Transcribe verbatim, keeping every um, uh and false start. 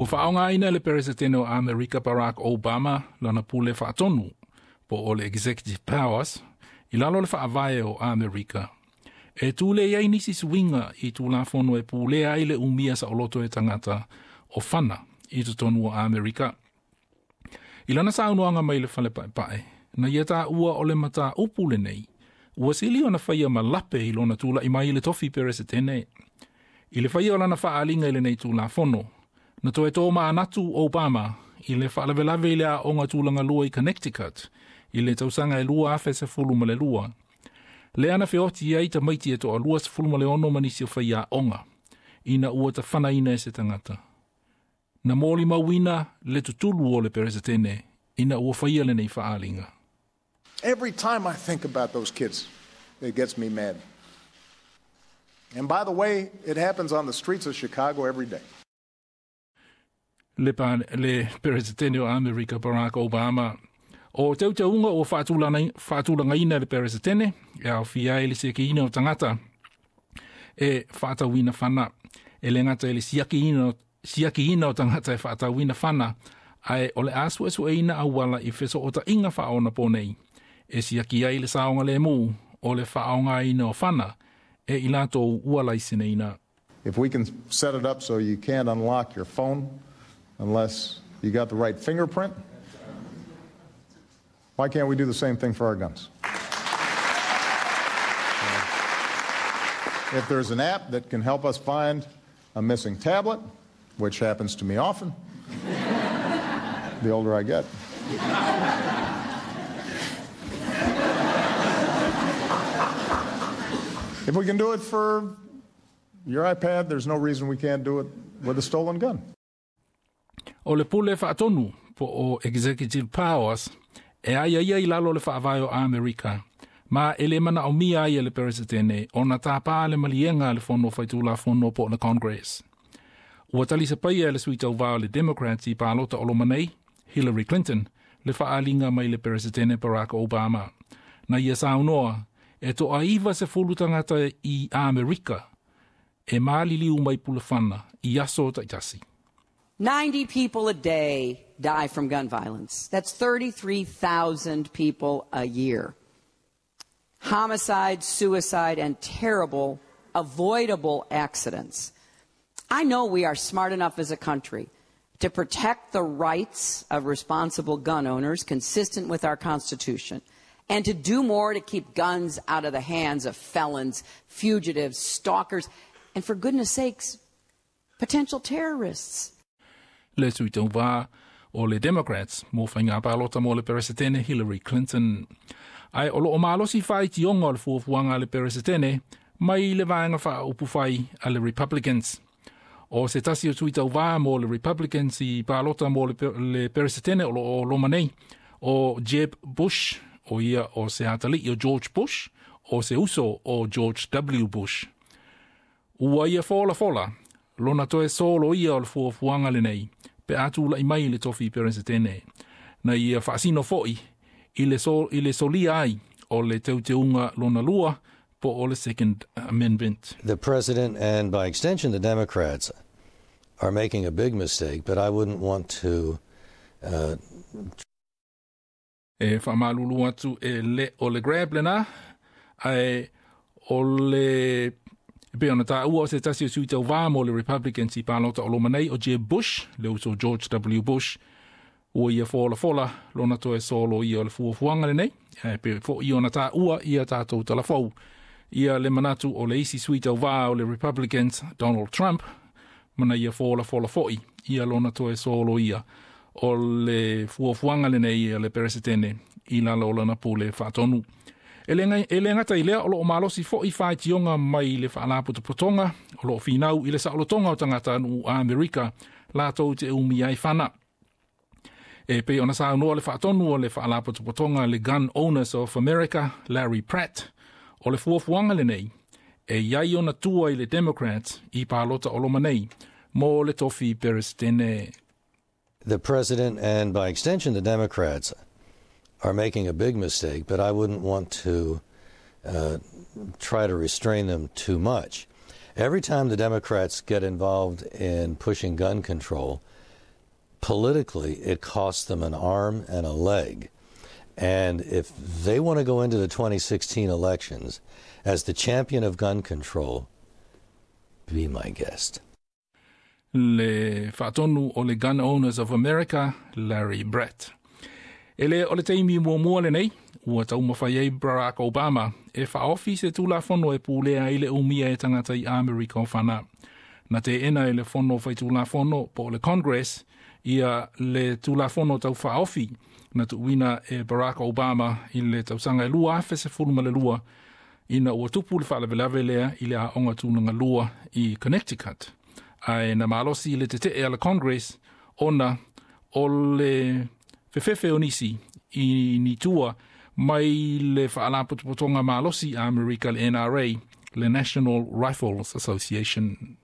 Ua faaaogaina le Peresetene o Amerika Barack Obama lana pule faatonu po o le Executive Powers i lalo o le faavae o Amerika. E tulei ai nisi suiga i tulafono e pulea ai le umia saoloto e tagata o fana i totonu o Amerika. I lana saunoaga mai le fale paepae, na ia taua o le mataupu lenei, ua sili ona faia ma lape i lona tula'i mai i le tofi Peresetene. I le faia o lana faaaliga i lenei tulafono, na toe tomanatu Obama i le faalavelave i le aoga tulagalua i Connecticut i le tausaga e lua afe sefulu ma le lua. Lea na feoti ai tamaiti e toalua sefulu ma le ono ma nisi o faiaoga, ina ua tafanaina e se tagata. Na molimauina le tutulu o le Peresetene ina ua faia lenei faaaliga. Every time I think about those kids, it gets me mad. And by the way, it happens on the streets of Chicago every day. Le, pa, le Peresetene o Amerika Barack Obama. O teuteuga ua faatulagaina le Peresetene e aofia ai le siakiina o tagata e faatauina fana. E le gata i le siakiina, siakiina o tagata e faatauina fana, ae o le a suesueina auala i fesootaiga faaonaponei e siaki ai le saogalemu o le faaaogaina o fana e i latou ua laiseneina. If we can set it up so you can't unlock your phone unless you got the right fingerprint, why can't we do the same thing for our guns? If there's an app that can help us find a missing tablet, which happens to me often, the older I get. If we can do it for your iPad, there's no reason we can't do it with a stolen gun. O le pule faatonu po o Executive Powers e aiaia i lalo o le faavae o Amerika, ma e le manaomia ai e le Peresetene ona tapā le maliega a le fono faitulafono po o le Congress. Ua talisapaia e le sui tauvā o le Democrats i palota o loma nei, Hillary Clinton, le faaaliga mai le Peresetene Barack Obama. Na ia saunoa, e toaiva sefulu tagata i Amerika e maliliu mai pulafana i aso taitasi. ninety people a day die from gun violence. That's thirty-three thousand people a year. Homicide, suicide, and terrible, avoidable accidents. I know we are smart enough as a country to protect the rights of responsible gun owners consistent with our Constitution, and to do more to keep guns out of the hands of felons, fugitives, stalkers, and for goodness sakes, potential terrorists. Le sui tauvā o le Democrats mo faiga palota mo le Peresetene Hillary Clinton. Ae o loo malosi faitioga o le fuafuaga a le Peresetene mai le vaega faaupufai a le Republicans. O se tasi o sui tauvā mo le Republicans i palota mo le, le Peresetene o loo loma nei, o Jeb Bush, o ia o se atalii o George Bush, o se uso o George W. Bush. Ua ia folafola, lona toe solo ia o le fuafuaga lenei, pe a tula'i mai le tofi Peresetene. Na ia faasino fo'i i le, so, i le solia ai o le teuteuga lona lua po o le Second Amendment. The President and, by extension, the Democrats are making a big mistake, but I wouldn't want to... Uh, E faamalulu atu e le o le grab lena, ae o le e pei ona taua o se tasi o sui tauvā mo le Republicans i palota o loma nei o Jeb Bush, le uso George W. Bush, ua ia folafola lona toe solo ia o le fuafuaga lenei, ae pei fo'i ona taua ia tatou talafou. Ia le manatu o le isi sui tauvā o le Republicans, Donald Trump, mana ia folafola fo'i ia lona toe solo ia o le fuafuaga lenei a le Peresetene i lalo o lana pule faatonu. E le gata i lea o loo malosi fo'i faitioga mai le faalapotopotoga o loo finau i le saolotoga o tagatanuu Amerika latou te umia ai fana. E pei ona saunoa le faatonu o le faalapotopotoga le Gun Owners of America, Larry Pratt, o le fuafuaga lenei e iai ona tua i le Democrats i palota o loma nei mo le tofi Peresetene. The President and, by extension, the Democrats are making a big mistake, but I wouldn't want to uh, try to restrain them too much. Every time the Democrats get involved in pushing gun control, Politically, it costs them an arm and a leg. And if they want to go into the twenty sixteen elections as the champion of gun control, be my guest. Le faatonu o le Gun Owners of America, Larry Brett. E le o le taimi muamua lenei, ua taumafai ai Barack Obama e faaofi se tulafono e pulea ai le umia e tagata i Amerika o fana. Na teena e le fono faitulafono po o le Congress ia le tulafono tau faaofi na tuuina e Barack Obama i le tausaga e lua afe sefulu ma le lua ina ua tupu le faalavelave lea i le aoga tulaga lua i Connecticut. Ae na malosi le tetee a le Congress ona o le fefefe o nisi i ni tua mai le faalapotopotoga malosi a Amerika le N R A, le National Rifles Association.